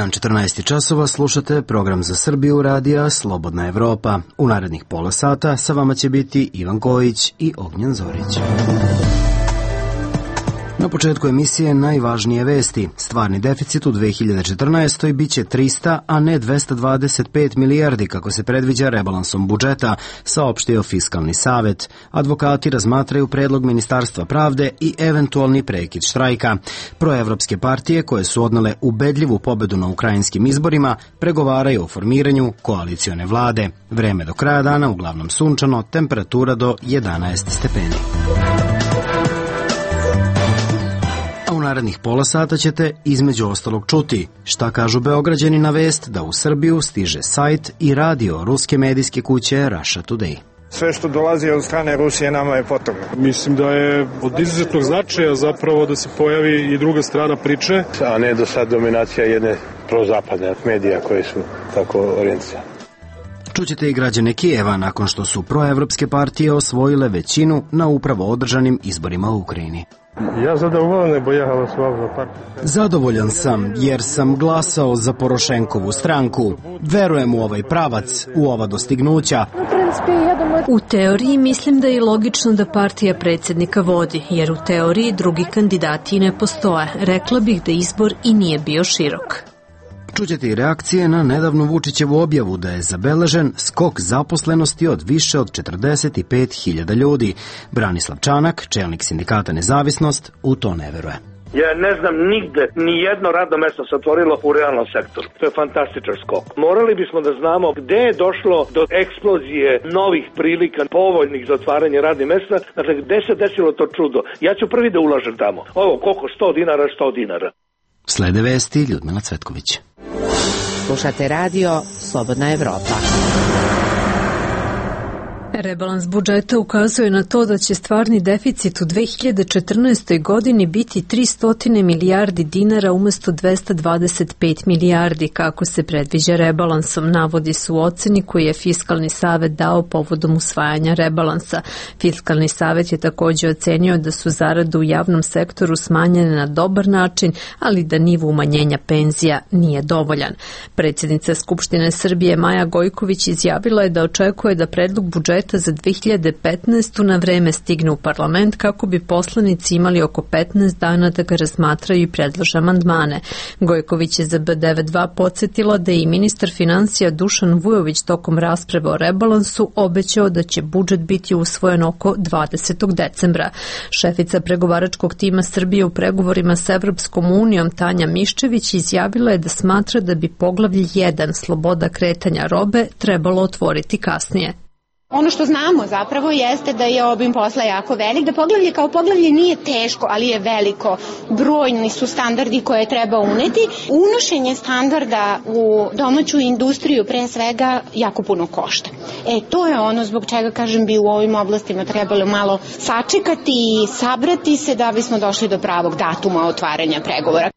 dan 14 časova, slušate program za Srbiju radija Slobodna Evropa. U narednih pola sata sa vama će biti Ivan Kojić i Ognjen Zorić. Na početku emisije najvažnije vesti. Stvarni deficit u 2014. biće 300, a ne 225 milijardi kako se predviđa rebalansom budžeta, saopštio Fiskalni savet. Advokati razmatraju predlog Ministarstva pravde i eventualni prekid štrajka. Proevropske partije koje su odnele ubedljivu pobedu na ukrajinskim izborima pregovaraju o formiranju koalicione vlade. Vreme do kraja dana uglavnom sunčano, temperatura do 11 stepeni. U narednih pola sata ćete između ostalog čuti šta kažu Beograđani na vest da u Srbiju stiže sajt i radio ruske medijske kuće Russia Today. Sve što dolazi od strane Rusije nama je potrebno. Mislim da je od izuzetnog značaja zapravo da se pojavi i druga strana priče. A ne do sad dominacija jedne prozapadne medija koje su tako orijentisane. Čućete i građane Kijeva nakon što su proevropske partije osvojile većinu na upravo održanim izborima u Ukrajini. Ja zadovoljan, bo ja glasovao za partiju. Zadovoljan sam jer sam glasao za Porošenkovu stranku. Verujem u ovaj pravac, u ova dostignuća. U teoriji mislim da je logično da partija predsjednika vodi, jer u teoriji drugi kandidati ne postoje. Rekla bih da izbor i nije bio širok. Čućete i reakcije na nedavnu Vučićevu objavu da je zabeležen skok zaposlenosti od više od 45.000 ljudi. Branislav Čanak, čelnik sindikata Nezavisnost, u to ne veruje. Ja ne znam nigde, ni jedno radno mesto se otvorilo u realnom sektoru. To je fantastičan skok. Morali bismo da znamo gde je došlo do eksplozije novih prilika, povoljnih za otvaranje radnih mesta, dakle gde se desilo to čudo. Ja ću prvi da ulažem tamo. Ovo, koliko? 100 dinara, 100 dinara. Slede vesti Ljudmila Cvetković. Slušate radio Slobodna Evropa. Rebalans budžeta ukazuje na to da će stvarni deficit u 2014. godini biti 300 milijardi dinara umesto 225 milijardi kako se predviđa rebalansom, navodi se u oceni koju je Fiskalni savet dao povodom usvajanja rebalansa. Fiskalni savet je također ocenio da su zarade u javnom sektoru smanjene na dobar način, ali da nivo umanjenja penzija nije dovoljan. Predsjednica Skupštine Srbije Maja Gojković izjavila je da očekuje da predlog budžeta za 2015. na vreme stigne u parlament kako bi poslanici imali oko 15 dana da ga razmatraju i predlože amandmane. Gojković je za B92 podsjetila da je i ministar financija Dušan Vujović tokom rasprave o rebalansu obećao da će budžet biti usvojen oko 20. decembra. Šefica pregovaračkog tima Srbije u pregovorima s Evropskom unijom Tanja Miščević izjavila je da smatra da bi poglavlje 1 sloboda kretanja robe trebalo otvoriti kasnije. Ono što znamo zapravo jeste da je obim posla jako velik, da poglavlje kao poglavlje nije teško, ali je veliko. Brojni su standardi koje treba uneti. Unošenje standarda u domaću industriju pre svega jako puno košta. To je ono zbog čega, kažem, bi u ovim oblastima trebalo malo sačekati i sabrati se da bismo došli do pravog datuma otvaranja pregovora.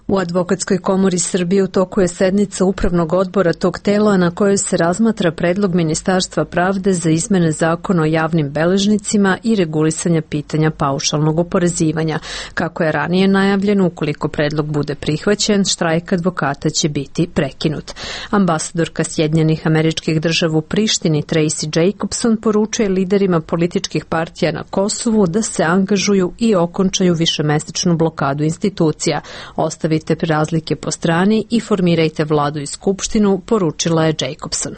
U Advokatskoj komori Srbije u toku je sednica upravnog odbora tog tela na kojoj se razmatra predlog Ministarstva pravde za izmene zakona o javnim beležnicima i regulisanja pitanja paušalnog oporezivanja. Kako je ranije najavljeno, ukoliko predlog bude prihvaćen, štrajk advokata će biti prekinut. Ambasadorka Sjedinjenih Američkih Država u Prištini Tracy Jacobson poručuje liderima političkih partija na Kosovu da se angažuju i okončaju višemesečnu blokadu institucija. Ostavite razlike po strani i formirajte vladu i skupštinu, poručila je Jacobson.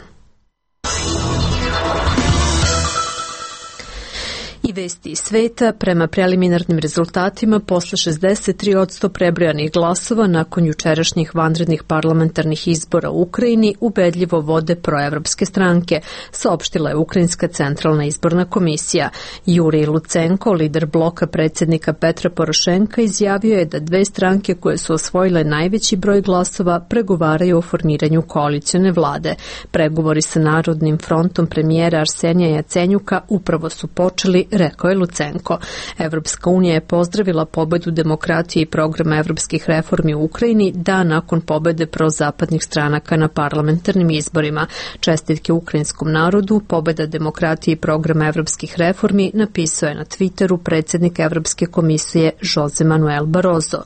I vesti iz sveta, prema preliminarnim rezultatima, posle 63% prebrojanih glasova nakon jučerašnjih vanrednih parlamentarnih izbora u Ukrajini ubedljivo vode proevropske stranke, saopštila je Ukrajinska centralna izborna komisija. Jurij Lucenko, lider bloka predsjednika Petra Porošenka, izjavio je da dve stranke koje su osvojile najveći broj glasova pregovaraju o formiranju koalicione vlade. Pregovori sa Narodnim frontom premijera Arsenija Jacenjuka upravo su počeli, rekao je Lucenko. Evropska unija je pozdravila pobedu demokratije i programa evropskih reformi u Ukrajini dan nakon pobede prozapadnih stranaka na parlamentarnim izborima. Čestitke ukrajinskom narodu, pobeda demokratije i programa evropskih reformi napisao je na Twitteru predsjednik Evropske komisije Jose Manuel Barroso.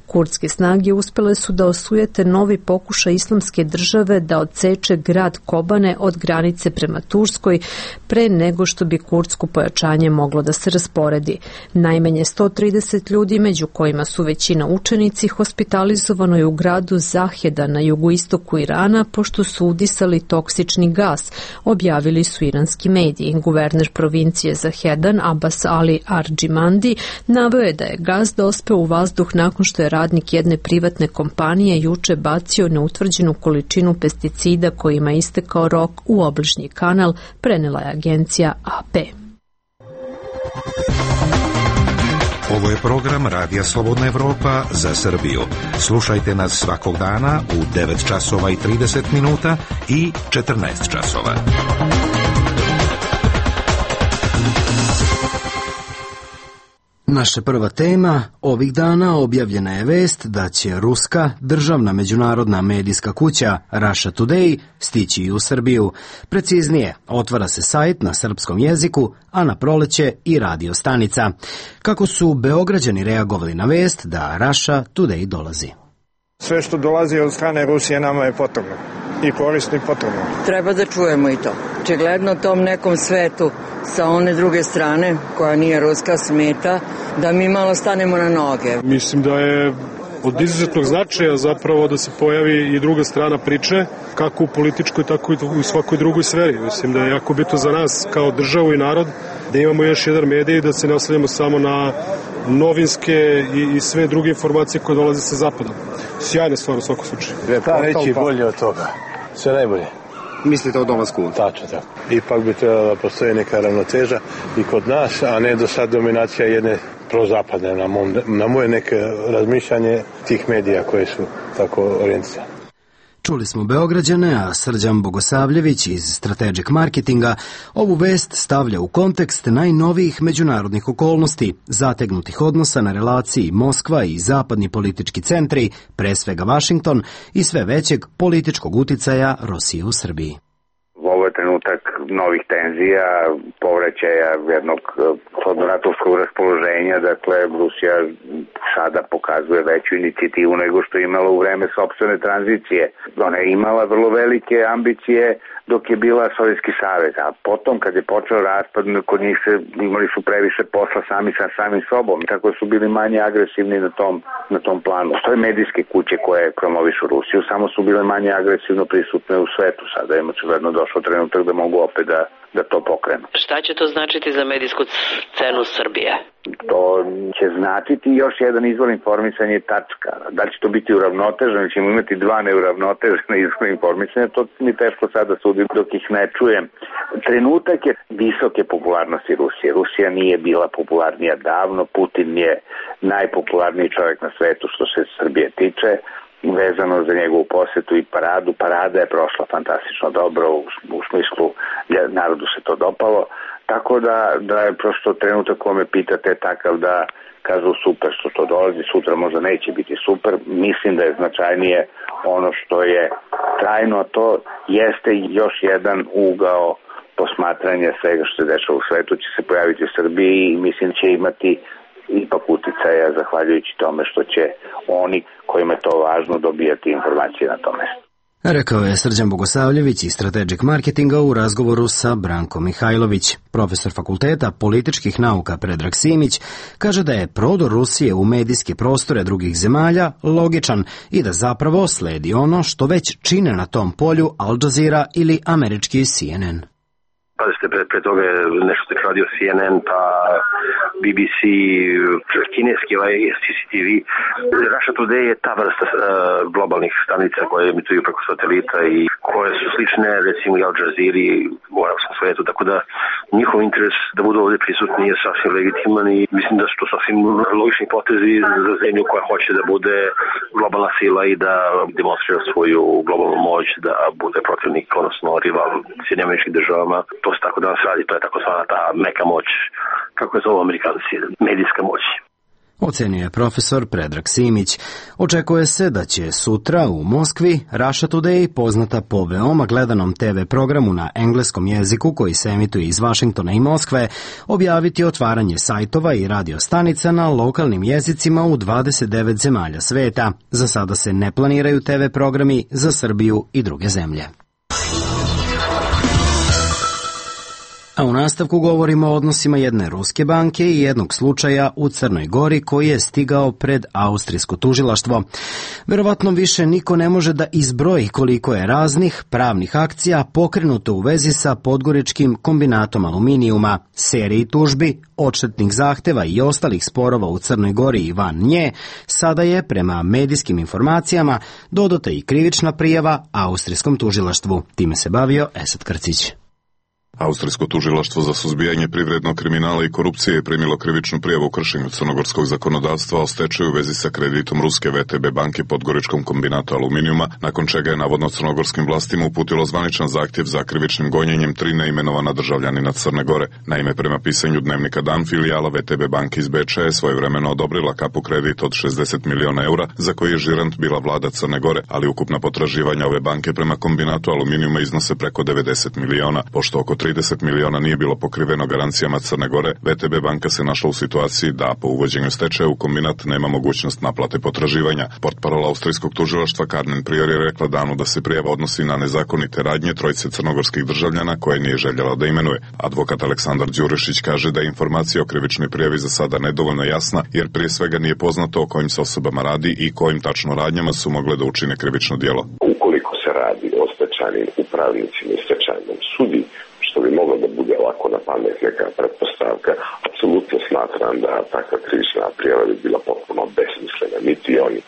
Kurdske snage uspjele su da osujete novi pokušaj islamske države da odseče grad Kobane od granice prema Turskoj pre nego što bi kurdsko pojačanje moglo da se rasporedi. Najmanje 130 ljudi, među kojima su većina učenici, hospitalizovano je u gradu Zaheda na jugoistoku Irana pošto su udisali toksični gas, objavili su iranski mediji. Guverner provincije Zahedan Abbas Ali Arđimandi naveo je da je gas dospeo u vazduh nakon što je radnik jedne privatne kompanije juče bacio neutvrđenu količinu pesticida kojima je istekao rok u obližnji kanal, prenela je agencija AP. Ovo je program Radija Slobodna Evropa za Srbiju. Slušajte nas svakog dana u 9 časova i 30 minuta i 14 časova. Naša prva tema ovih dana objavljena je vest da će ruska državna međunarodna medijska kuća Russia Today stići i u Srbiju. Preciznije, otvara se sajt na srpskom jeziku, a na proleće i radio stanica. Kako su Beograđani reagovali na vest da Russia Today dolazi? Sve što dolazi od strane Rusije nama je potrebno i korisno i potrebno. Treba da čujemo i to. Očigledno tom nekom svetu sa one druge strane, koja nije ruska, smeta, da mi malo stanemo na noge. Mislim da je od izuzetnog značaja zapravo da se pojavi i druga strana priče, kako u političkoj, tako i u svakoj drugoj sferi. Mislim da je jako bitno za nas kao državu i narod da imamo još jedan medij, da se ne oslanjamo samo na novinske i sve druge informacije koje dolaze sa zapada. Sjajna stvar u svakom slučaju. Pa reći bolje od toga. Sve najbolje. Mislite o dolasku? Tačno tako. Ipak bi trebala da postoji neka ravnoteža i kod nas, a ne do sad dominacija jedne prozapadne, na moje neke razmišljanje tih medija koje su tako orijentisane. Čuli smo Beograđane, a Srđan Bogosavljević iz Strategic Marketinga ovu vest stavlja u kontekst najnovijih međunarodnih okolnosti, zategnutih odnosa na relaciji Moskva i zapadni politički centri, pre svega Vašington, i sve većeg političkog uticaja Rusije u Srbiji. Ovo je trenutak novih tenzija, povraćaja jednog hladnoratovskog raspoloženja, dakle Rusija sada pokazuje veću inicijativu nego što je imala u vreme sopstvene tranzicije. Ona je imala vrlo velike ambicije dok je bila Sovjetski savez, a potom kad je počeo raspad, kod njih imali su previše posla sami sa samim sobom, tako su bili manje agresivni na tom planu. To je medijske kuće koje promovišu Rusiju, samo su bile manje agresivno prisutne u svetu. Sada je očigledno došao trenutak da mogu opet da to pokrenu. Šta će to značiti za medijsku scenu Srbije? To će značiti još jedan izvor informisanja i tačka. Da li će to biti uravnoteženo, ili ćemo imati dva neuravnotežena izvora informisanja, to mi teško sada sudim dok ih ne čujem. Trenutak je visoke popularnosti Rusije. Rusija nije bila popularnija davno, Putin je najpopularniji čovjek na svetu što se Srbije tiče, vezano za njegovu posetu i paradu. Parada je prošla fantastično dobro, u smislu narodu se to dopalo, tako da je prosto trenutak ko me pitate takav da kažu super što to dolazi, sutra možda neće biti super. Mislim da je značajnije ono što je trajno, to jeste još jedan ugao posmatranja svega što se dešava u svetu, će se pojaviti u Srbiji i mislim će imati ipak uticaja zahvaljujući tome što će oni kojima je to važno dobijati informacije na tome. Rekao je Srđan Bogosavljević iz Strategic Marketinga u razgovoru sa Brankom Mihajlović. Profesor fakulteta političkih nauka Predrag Simić kaže da je prodor Rusije u medijske prostore drugih zemalja logičan i da zapravo sledi ono što već čine na tom polju Al Jazeera ili američki CNN. Pazite, pre toga je nešto se radio CNN, pa BBC, kineski CCTV. Russia Today je ta vrsta globalnih stanica koje emituju preko satelita i koje su slične, recimo i Al Jazeera u arapskom svetu, tako da njihov interes da budu ovdje prisutni je sasvim legitiman i mislim da su to sasvim logični potezi za zemlju koja hoće da bude globalna sila i da demonstrira svoju globalnu moć, da bude protivnik, odnosno rival Sjedinjenim Američkim Državama. to se tako danas radi, to je takozvana ta meka moć, kako je zovu Amerikanci, medijska moć. Ocenio je profesor Predrag Simić. Očekuje se da će sutra u Moskvi Russia Today, poznata po veoma gledanom TV programu na engleskom jeziku koji se emituje iz Vašingtona i Moskve, objaviti otvaranje sajtova i radiostanica na lokalnim jezicima u 29 zemalja sveta. Za sada se ne planiraju TV programi za Srbiju i druge zemlje. A u nastavku govorimo o odnosima jedne ruske banke i jednog slučaja u Crnoj Gori koji je stigao pred austrijsko tužilaštvo. Verovatno više niko ne može da izbroji koliko je raznih pravnih akcija pokrenuto u vezi sa podgoričkim kombinatom aluminijuma, seriji tužbi, odštetnih zahteva i ostalih sporova u Crnoj Gori i van nje. Sada je, prema medijskim informacijama, dodata i krivična prijava austrijskom tužilaštvu. Time se bavio Esad Krcić. Austrijsko tužilaštvo za suzbijanje privrednog kriminala i korupcije je primilo krivičnu prijavu u kršenju crnogorskog zakonodavstva o stečaju u vezi sa kreditom ruske VTB banke Podgoričkom kombinatu aluminijuma, nakon čega je navodno crnogorskim vlastima uputilo zvaničan zahtjev za krivičnim gonjenjem 3 neimenovana državljanina Crne Gore. Naime, prema pisanju dnevnika Dan, filijala VTB banke iz Beča je svojevremeno odobrila kapu kredit od 60 miliona eura, za koji je žirant bila vlada Crne Gore, ali ukupna potraživanja ove banke prema kombinatu aluminijuma iznose preko 90 miliona, pošto oko 30 miliona nije bilo pokriveno garancijama Crne Gore. VTB banka se našla u situaciji da po uvođenju stečaja u kombinat nema mogućnost naplate potraživanja. Portparol austrijskog tužilaštva Carmen Prior je rekla Danu da se prijava odnosi na nezakonite radnje trojice crnogorskih državljana koje nije željela da imenuje. Advokat Aleksandar Đurišić kaže da je informacija o krivičnoj prijavi za sada nedovoljno jasna, jer prije svega nije poznato o kojim se osobama radi i kojim tačno radnjama su mogle da učine krivično djelo. Ukoliko se radi o stečajnim upravnicima i stečajnom sudi, što bi moglo da bude ovako na pamet neka pretpostavka, apsolutno smatram da takva krivična prijava bi bila potpuno besmislena. Niti oni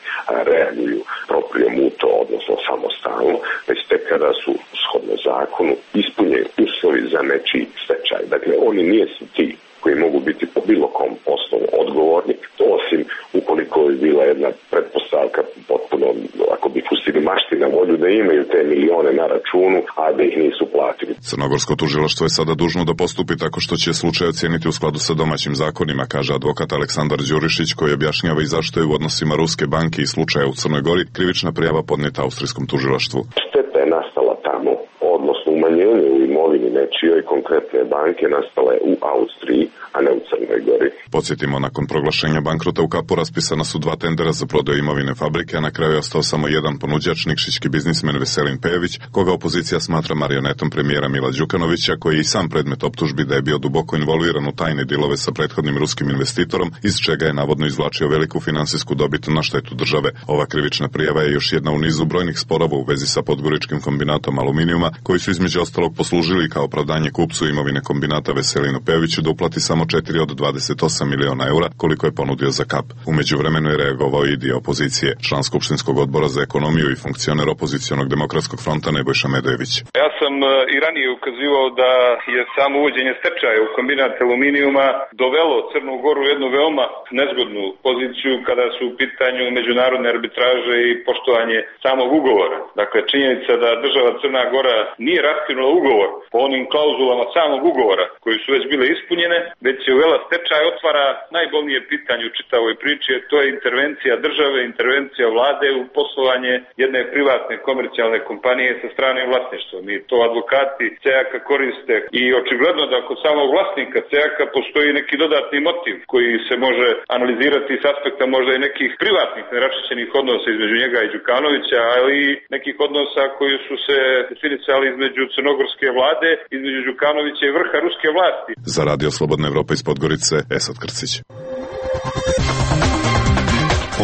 reaguju proprijemuto, odnosno samostalno, već tek kada su shodno zakonu ispunjeni uslovi za nečiji stečaj. Dakle, oni nisu ti koji mogu biti po bilo kom osnovu odgovorni, osim ukoliko je bila jedna pretpostavka potpuno, ako bi pustili mašti na volju da imaju te milione na računu, a da ih nisu platili. Crnogorsko tužilaštvo je sada dužno da postupi tako što će slučaj ocijeniti u skladu sa domaćim zakonima, kaže advokat Aleksandar Đurišić, koji objašnjava i zašto je u odnosima ruske banke i slučaja u Crnoj Gori krivična prijava podnijeta austrijskom tužilaštvu. Šteta je nastala tamo, odnosno umanjenje u imovini nečijoj konkretne banke nastala je u Austriji, a ne u Crnoj Gori. Podsjetimo, nakon proglašenja bankrota u Kapu raspisana su 2 tendera za prodaju imovine fabrike, a na kraju je ostao samo jedan ponuđač, nikšićki biznismen Veselin Pejević, koga opozicija smatra marionetom premijera Mila Đukanovića, koji je i sam predmet optužbi da je bio duboko involviran u tajne dilove sa prethodnim ruskim investitorom, iz čega je navodno izvlačio veliku finansijsku dobit na štetu države. Ova krivična prijava je još jedna u nizu brojnih sporova u vezi sa Podgoričkim kombinatom aluminijuma, koji su između ostalog poslužili kao opravdanje kupcu imovine kombinata Veselinu Pejeviću da uplati samo 4 od 28 miliona eura koliko je ponudio za kap. U međuvremenu je reagovao i dio opozicije, član Skupštinskog odbora za ekonomiju i funkcioner opozicionog demokratskog fronta Nebojša Medojević. Ja sam i ranije ukazivao da je samo uvođenje stečaja u kombinat aluminijuma dovelo Crnu Goru u jednu veoma nezgodnu poziciju kada su u pitanju međunarodne arbitraže i poštovanje samog ugovora. Dakle, činjenica da država Crna Gora nije raskinula ugovor po onim klauzulama samog ugovora koji su već bile ispunjene, već je uvela stečaj, otvara najbolnije pitanje u čitavoj priči, to je intervencija države, intervencija vlade u poslovanje jedne privatne komercijalne kompanije sa stranim vlasništvom. I to advokati CEAK-a koriste i očigledno da kod samog vlasnika CEAK-a postoji neki dodatni motiv koji se može analizirati s aspekta možda i nekih privatnih neraščišćenih odnosa između njega i Đukanovića, ali i nekih odnosa koji su se definisali između crnogorske vlade, između Đukanovića i vrha ruske vlasti. Za Radio Slobodna Evropa iz Podgorice, Esad Krcić.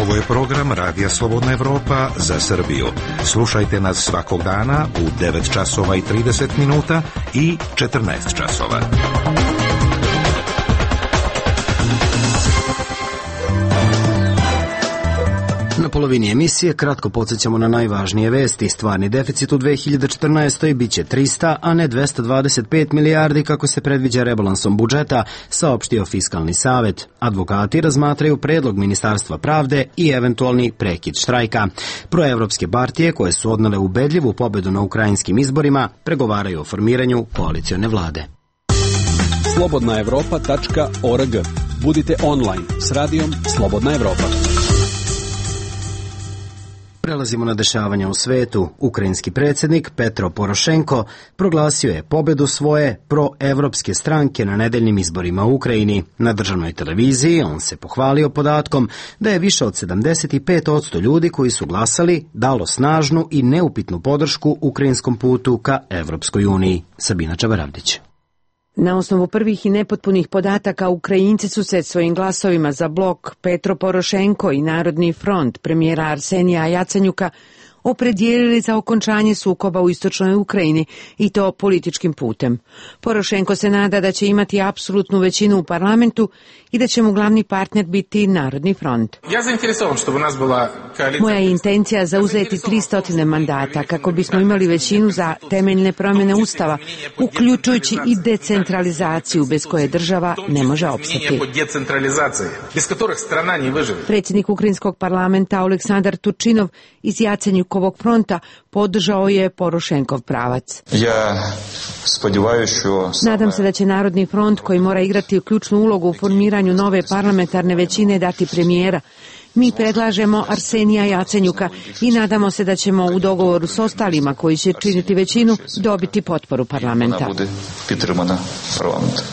Ovo je program Radija Slobodna Evropa za Srbiju. Slušajte nas svakog dana u 9 časova i 30 minuta i 14 časova. Na polovini emisije kratko podsjećamo na najvažnije vesti. Stvarni deficit u 2014. biće 300, a ne 225 milijardi kako se predviđa rebalansom budžeta, saopštio Fiskalni savet. Advokati razmatraju predlog Ministarstva pravde i eventualni prekid štrajka. Proevropske partije koje su odnele ubedljivu pobedu na ukrajinskim izborima pregovaraju o formiranju koalicione vlade. Slobodnaevropa.org. Budite online s radijom Slobodna Evropa. Prelazimo na dešavanja u svetu. Ukrajinski predsjednik Petro Porošenko proglasio je pobedu svoje proevropske stranke na nedeljnim izborima u Ukrajini. Na državnoj televiziji on se pohvalio podatkom da je više od 75% ljudi koji su glasali dalo snažnu i neupitnu podršku ukrajinskom putu ka Evropskoj uniji. Sabina Čabaravdić. Na osnovu prvih i nepotpunih podataka, Ukrajinci su se svojim glasovima za blok Petro Porošenko i Narodni front premijera Arsenija Jacenjuka opredijelili za okončanje sukoba u istočnoj Ukrajini i to političkim putem. Porošenko se nada da će imati apsolutnu većinu u parlamentu i da će mu glavni partner biti Narodni front. Moja je intencija zauzeti 300 mandata kako bismo imali većinu za temeljne promjene Ustava, uključujući i decentralizaciju bez koje država ne može opstati. Predsjednik Ukrajinskog parlamenta Oleksandar Turčinov iz Jacenjukovog fronta podržao je Porošenkov pravac. Nadam se da će Narodni front, koji mora igrati ključnu ulogu u formiranju nove parlamentarne većine, dati premijera. Mi predlažemo Arsenija Jacenjuka i nadamo se da ćemo u dogovoru s ostalima koji će činiti većinu dobiti potporu parlamenta.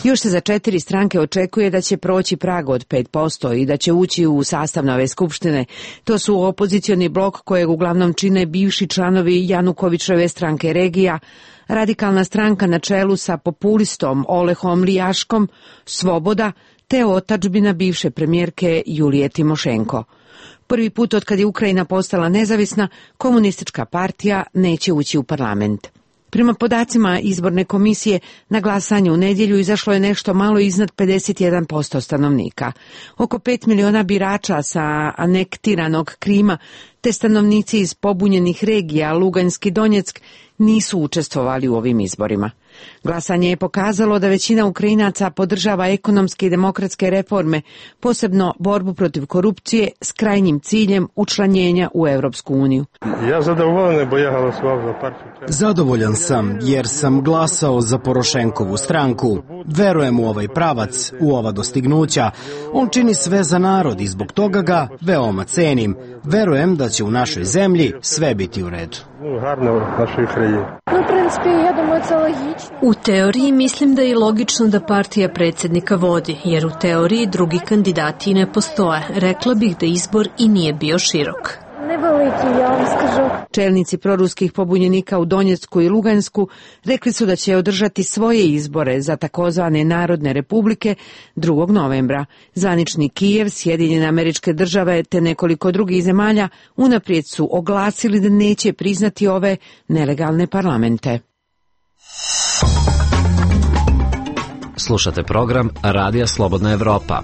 Još se za 4 stranke očekuje da će proći prag od 5% i da će ući u sastav nove skupštine. To su opozicioni blok kojeg uglavnom čine bivši članovi Janukovićeve stranke Regija, Radikalna stranka na čelu sa populistom Olehom Lijaškom, Svoboda, te otadžbina bivše premijerke Julije Timošenko. Prvi put od kad je Ukrajina postala nezavisna, komunistička partija neće ući u parlament. Prema podacima izborne komisije, na glasanje u nedjelju izašlo je nešto malo iznad 51% stanovnika. Oko 5 miliona birača sa anektiranog Krima te stanovnici iz pobunjenih regija Lugansk i Donjeck nisu učestvovali u ovim izborima. Glasanje je pokazalo da većina Ukrajinaca podržava ekonomske i demokratske reforme, posebno borbu protiv korupcije s krajnjim ciljem učlanjenja u Europsku uniju. Zadovoljan sam jer sam glasao za Porošenkovu stranku. Verujem u ovaj pravac, u ova dostignuća. On čini sve za narod i zbog toga ga veoma cenim. Verujem da će u našoj zemlji sve biti u redu. U teoriji mislim da je logično da partija predsjednika vodi, jer u teoriji drugi kandidati ne postoje. Rekla bih da izbor i nije bio širok. Čelnici proruskih pobunjenika u Donjecku i Lugansku rekli su da će održati svoje izbore za takozvane Narodne republike 2. novembra. Zvanični Kijev, Sjedinjene Američke Države te nekoliko drugih zemalja unaprijed su oglasili da neće priznati ove nelegalne parlamente. Slušate program Radija Slobodna Evropa.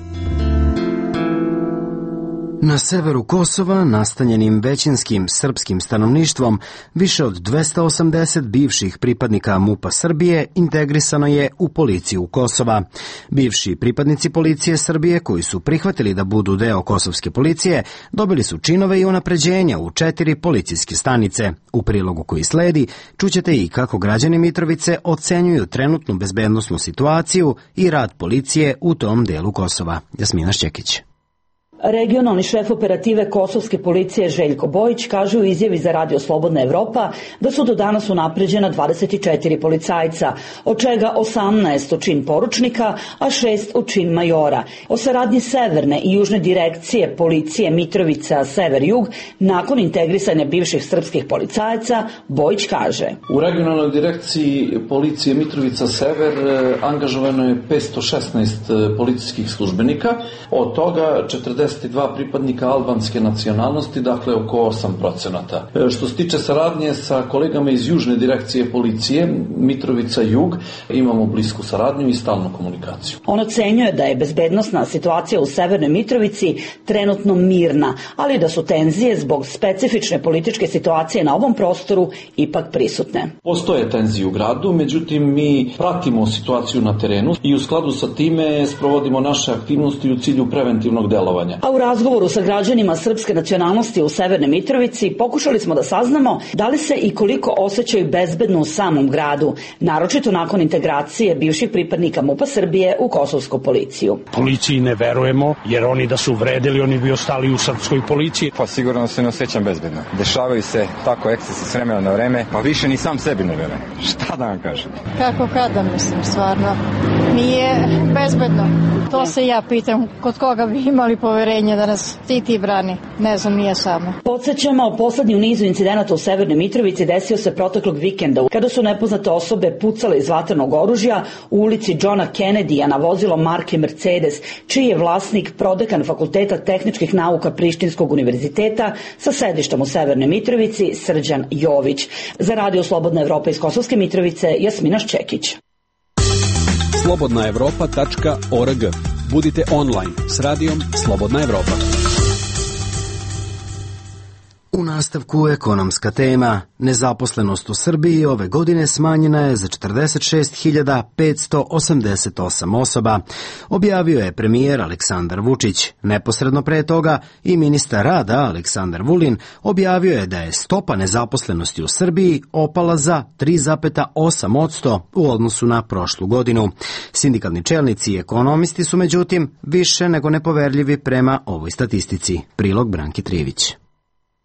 Na severu Kosova, nastanjenim većinskim srpskim stanovništvom, više od 280 bivših pripadnika MUP-a Srbije integrisano je u policiju Kosova. Bivši pripadnici policije Srbije koji su prihvatili da budu deo kosovske policije dobili su činove i unapređenja u 4 policijske stanice. U prilogu koji sledi čućete i kako građani Mitrovice ocenjuju trenutnu bezbednosnu situaciju i rad policije u tom delu Kosova. Jasmina Šćekić. Regionalni šef operative kosovske policije Željko Bojić kaže u izjavi za Radio Slobodna Evropa da su do danas unapređena 24 policajca, od čega 18 u čin poručnika, a 6 u čin majora. O saradnji Severne i Južne direkcije policije Mitrovica Sever-Jug nakon integrisanja bivših srpskih policajaca Bojić kaže: U regionalnoj direkciji policije Mitrovica Sever angažovano je 516 policijskih službenika, od toga 40 52 pripadnika albanske nacionalnosti, dakle oko 8%. Što se tiče saradnje sa kolegama iz južne direkcije policije, Mitrovica Jug, imamo blisku saradnju i stalnu komunikaciju. On ocenjuje da je bezbednosna situacija u Severnoj Mitrovici trenutno mirna, ali da su tenzije zbog specifične političke situacije na ovom prostoru ipak prisutne. Postoje tenzije u gradu, međutim mi pratimo situaciju na terenu i u skladu sa time sprovodimo naše aktivnosti u cilju preventivnog delovanja. A u razgovoru sa građanima srpske nacionalnosti u Severnoj Mitrovici pokušali smo da saznamo da li se i koliko osjećaju bezbedno u samom gradu, naročito nakon integracije bivših pripadnika MUP-a Srbije u kosovsku policiju. Policiji ne verujemo, jer oni da su vredili, oni bi ostali u srpskoj policiji. Pa sigurno se ne osjećam bezbedno. Dešavaju se tako ekscesi s vremena na vreme, pa više ni sam sebi ne verujem. Šta da vam kažem? Kako kada, mislim, stvarno. Nije bezbedno. To se ja pitam, kod koga bi imali poverenje da nas štiti i brani. Ne znam, nije samo. Podsjećamo, poslednji u nizu incidenata u Severnoj Mitrovici desio se proteklog vikenda, kada su nepoznate osobe pucale iz vatrenog oružja u ulici Johna Kennedya na vozilo marke Mercedes, čiji je vlasnik prodekan Fakulteta tehničkih nauka Prištinskog univerziteta sa sedištem u Severnoj Mitrovici, Srđan Jović. Za Radio Slobodna Evropa iz Kosovske Mitrovice, Jasmina Ščekić. slobodnaevropa.org. Budite online s radijom Slobodna Evropa. U nastavku ekonomska tema. Nezaposlenost u Srbiji ove godine smanjena je za 46.588 osoba, objavio je premijer Aleksandar Vučić. Neposredno pre toga i ministar rada Aleksandar Vulin objavio je da je stopa nezaposlenosti u Srbiji opala za 3,8% u odnosu na prošlu godinu. Sindikalni čelnici i ekonomisti su međutim više nego nepoverljivi prema ovoj statistici. Prilog Branki Trivić.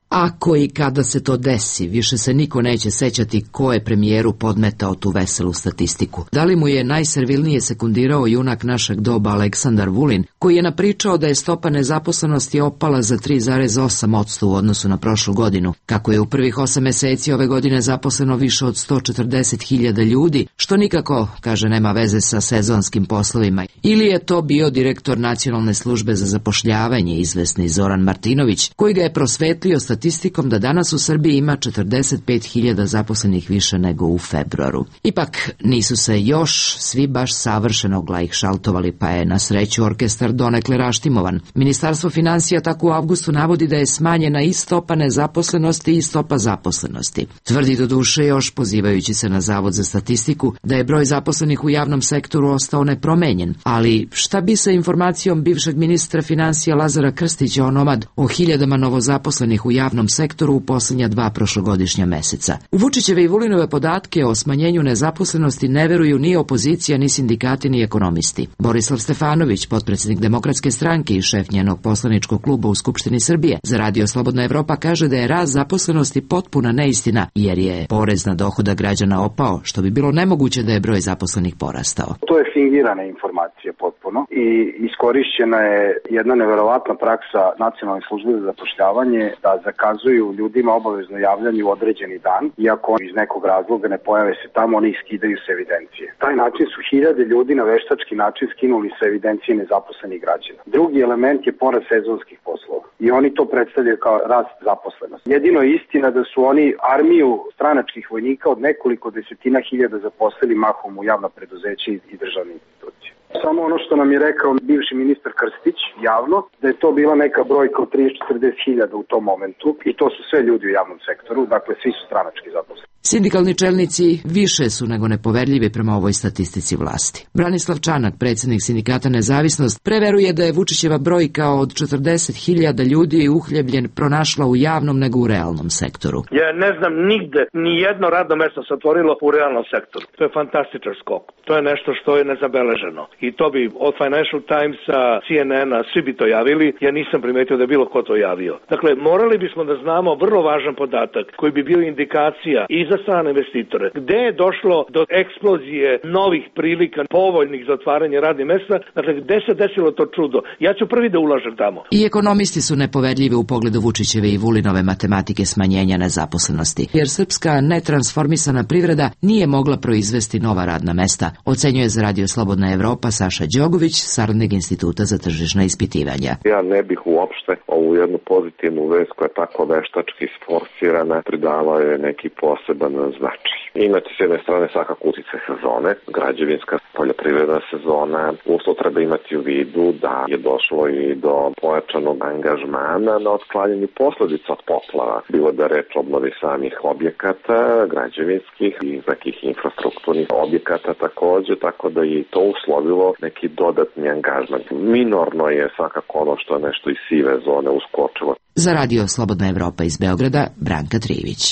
Ako i kada se to desi, više se niko neće sećati ko je premijeru podmetao tu veselu statistiku. Da li mu je najservilnije sekundirao junak našeg doba Aleksandar Vulin, koji je napričao da je stopa nezaposlenosti opala za 3,8% u odnosu na prošlu godinu, kako je u prvih 8 meseci ove godine zaposleno više od 140.000 ljudi, što nikako, kaže, nema veze sa sezonskim poslovima. Ili je to bio direktor Nacionalne službe za zapošljavanje, izvesni Zoran Martinović, koji ga je prosvetlio statistikom da danas u Srbiji ima 45.000 zaposlenih više nego u februaru. Ipak nisu se još svi baš savršeno glajhšaltovali, pa je na sreću orkestar donekle raštimovan. Ministarstvo finansija tako u avgustu navodi da je smanjena i stopa nezaposlenosti i stopa zaposlenosti. Tvrdi do duše još, pozivajući se na Zavod za statistiku, da je broj zaposlenih u javnom sektoru ostao nepromenjen. Ali šta bi sa informacijom bivšeg ministra finansija Lazara Krstića onomad o hiljadama novozaposlenih u javnom sektoru u posljednja 2 prošlogodišnja meseca? U Vučićeve i Vulinove podatke o smanjenju nezaposlenosti ne veruju ni opozicija, ni sindikati, ni ekonomisti. Borislav Stefanović, potpredsednik Demokratske stranke i šef njenog poslaničkog kluba u Skupštini Srbije, za Radio Slobodna Evropa kaže da je rast zaposlenosti potpuna neistina, jer je porez na dohodak građana opao, što bi bilo nemoguće da je broj zaposlenih porastao. To je fingirana informacija potpuno i iskorišćena je jedna neverovatna praksa Nacionalne službe za zapošljavanje da zakazuju ljudima obavezno javljanje u određeni dan, iako iz nekog razloga ne pojave se tamo, oni iskidaju se evidencije. Taj način su hiljade ljudi na veštački način skinuli sa evidencije nezaposlenih građana. Drugi element je porast sezonskih poslova i oni to predstavljaju kao rast zaposlenosti. Jedino je istina da su oni armiju stranačkih vojnika od nekoliko desetina hiljada zaposlili mahom u javna preduzeća i državne institucije. Samo ono što nam je rekao bivši ministar Krstić javno, da je to bila neka brojka od 30-40 hiljada u tom momentu i to su sve ljudi u javnom sektoru, dakle svi su stranački zaposleni. Sindikalni čelnici više su nego nepoverljivi prema ovoj statistici vlasti. Branislav Čanak, predsjednik sindikata Nezavisnost, preveruje da je Vučićeva brojka od 40.000 ljudi uhljebljen pronašla u javnom nego u realnom sektoru. Ja ne znam nigde ni jedno radno mesto se otvorilo u realnom sektoru. To je fantastičan skok. To je nešto što je nezabeleženo. I to bi od Financial Timesa, CNN-a, svi bi to javili. Ja nisam primetio da je bilo ko to javio. Dakle, morali bismo da znamo vrlo važan podatak koji bi bio indikacija i za za strane investitore. Gde je došlo do eksplozije novih prilika, povoljnih za otvaranje radnih mesta, dakle gde se desilo to čudo? Ja ću prvi da ulažem tamo. I ekonomisti su nepovedljivi u pogledu Vučićeve i Vulinove matematike smanjenja nezaposlenosti, jer srpska netransformisana privreda nije mogla proizvesti nova radna mesta, ocenjuje za Radio Slobodna Evropa Saša Đogović, saradnik Instituta za tržišna ispitivanja. Ja ne bih uopšte ovu jednu pozitivnu vest koja je tako veštački sforsirana pridavao je neki poseban značaj. Inače, s jedne strane svakako utice sezone, građevinska poljoprivredna sezona, uslov treba imati u vidu da je došlo i do pojačanog angažmana na otklanjanju posledica od poplava, bilo da reč o obnovi samih objekata, građevinskih i nekih infrastrukturnih objekata takođe, tako da je to uslovilo neki dodatni angažman. Minorno je svakako ono što je nešto iz sive zone uskočilo. Za Radio Slobodna Evropa iz Beograda, Branka Trivić.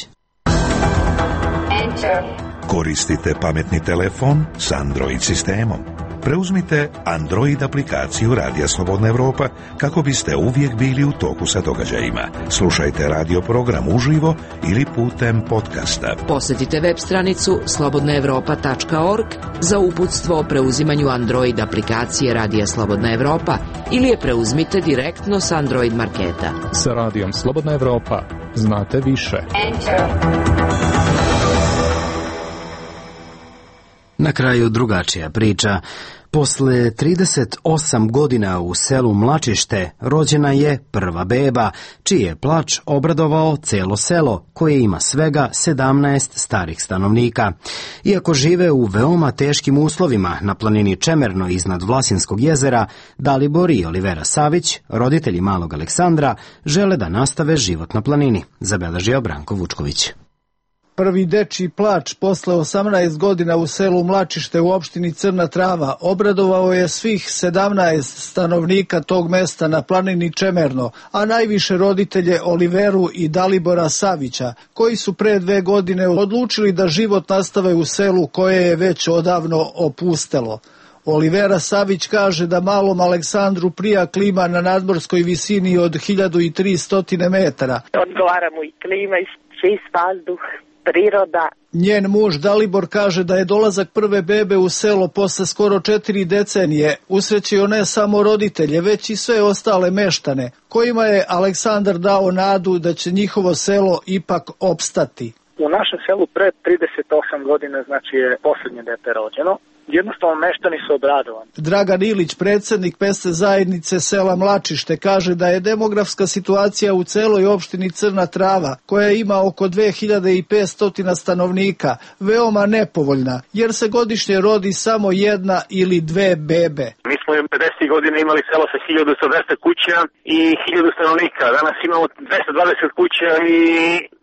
Koristite pametni telefon s Android sistemom. Preuzmite Android aplikaciju Radija Slobodna Evropa kako biste uvijek bili u toku sa događajima. Slušajte radio program uživo ili putem podcasta. Posjetite web stranicu slobodnaevropa.org za uputstvo o preuzimanju Android aplikacije Radija Slobodna Evropa ili je preuzmite direktno s Android marketa. Sa Radijom Slobodna Evropa znate više. Na kraju drugačija priča. Posle 38 godina u selu Mlačište rođena je prva beba, čiji je plač obradovao celo selo, koje ima svega 17 starih stanovnika. Iako žive u veoma teškim uslovima na planini Čemerno iznad Vlasinskog jezera, Dalibor i Olivera Savić, roditelji malog Aleksandra, žele da nastave život na planini, zabeležio Branko Vučković. Prvi dečiji plač posle 18 godina u selu Mlačište u opštini Crna Trava obradovao je svih 17 stanovnika tog mesta na planini Čemerno, a najviše roditelje Oliveru i Dalibora Savića, koji su pre 2 godine odlučili da život nastave u selu koje je već odavno opustelo. Olivera Savić kaže da malom Aleksandru prija klima na nadmorskoj visini od 1300 metara. Odgovara mu i klima i čist vazduh, priroda. Njen muž Dalibor kaže da je dolazak prve bebe u selo posle skoro 4 decenije usrećio ne samo roditelje, već i sve ostale meštane, kojima je Aleksandar dao nadu da će njihovo selo ipak opstati. U našem selu pre 38 godina, znači je posljednje dete rođeno. Jednostavno meštani su obradovani. Dragan Ilić, predsjednik mesne zajednice sela Mlačište, kaže da je demografska situacija u celoj opštini Crna Trava, koja ima oko 2500 stanovnika, veoma nepovoljna, jer se godišnje rodi samo 1 ili 2 bebe. Mi smo 50 godina imali selo sa 1200 kuća i 1000 stanovnika. Danas imamo 220 kuća i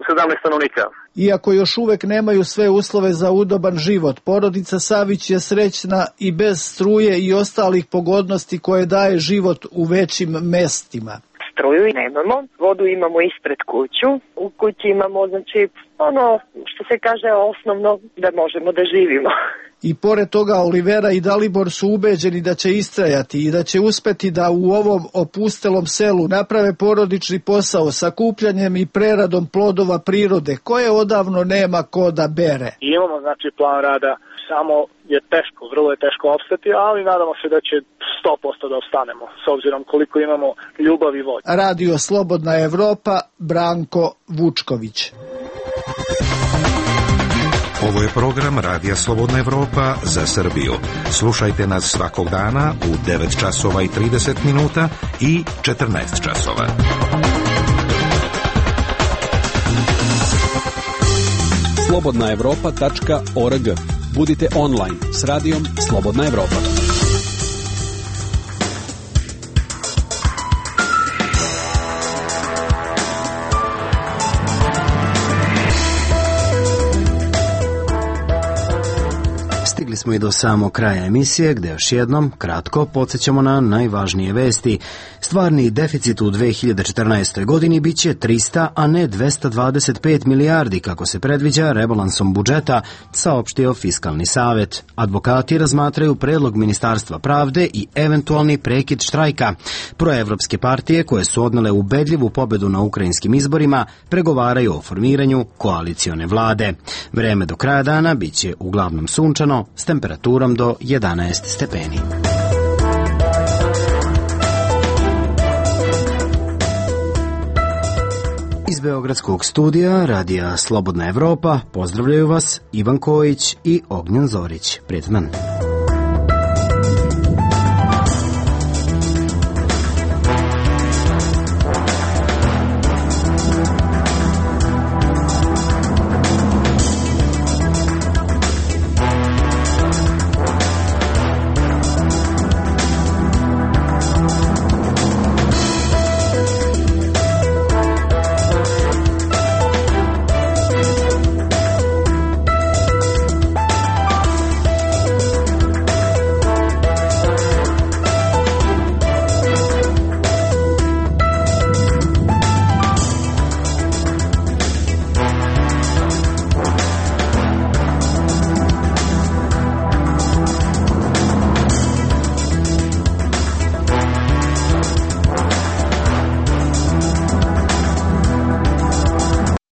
17 stanovnika. Iako još uvek nemaju sve uslove za udoban život, porodica Savić je srećna i bez struje i ostalih pogodnosti koje daje život u većim mestima. Struju nemamo, vodu imamo ispred kuću, u kući imamo znači ono što se kaže osnovno da možemo da živimo. I pored toga Olivera i Dalibor su ubeđeni da će istrajati i da će uspeti da u ovom opustelom selu naprave porodični posao sa kupljanjem i preradom plodova prirode koje odavno nema ko da bere. Imamo znači plan rada, samo je teško, vrlo je teško opstati, ali nadamo se da će 100% da opstanemo s obzirom koliko imamo ljubav i volje. Radio Slobodna Evropa, Branko Vučković. Ovo je program Radija Slobodna Evropa za Srbiju. Slušajte nas svakog dana u 9 časova i 30 minuta i 14 časova. slobodnaevropa.org. Budite online s radijom Slobodna Evropa. smo i do samog kraja emisije, gde još jednom kratko podsjećamo na najvažnije vesti. Stvarni deficit u 2014. godini biće 300, a ne 225 milijardi, kako se predviđa rebalansom budžeta, saopštio Fiskalni savet. Advokati razmatraju predlog Ministarstva pravde i eventualni prekid štrajka. Proevropske partije, koje su odnele ubedljivu pobedu na ukrajinskim izborima, pregovaraju o formiranju koalicione vlade. Vreme do kraja dana biće uglavnom sunčano s temperaturom do 11 stepeni. Iz Beogradskog studija Radija Slobodna Evropa pozdravljaju vas Ivan Kojić i Ognjen Zorić. Prijetan dan.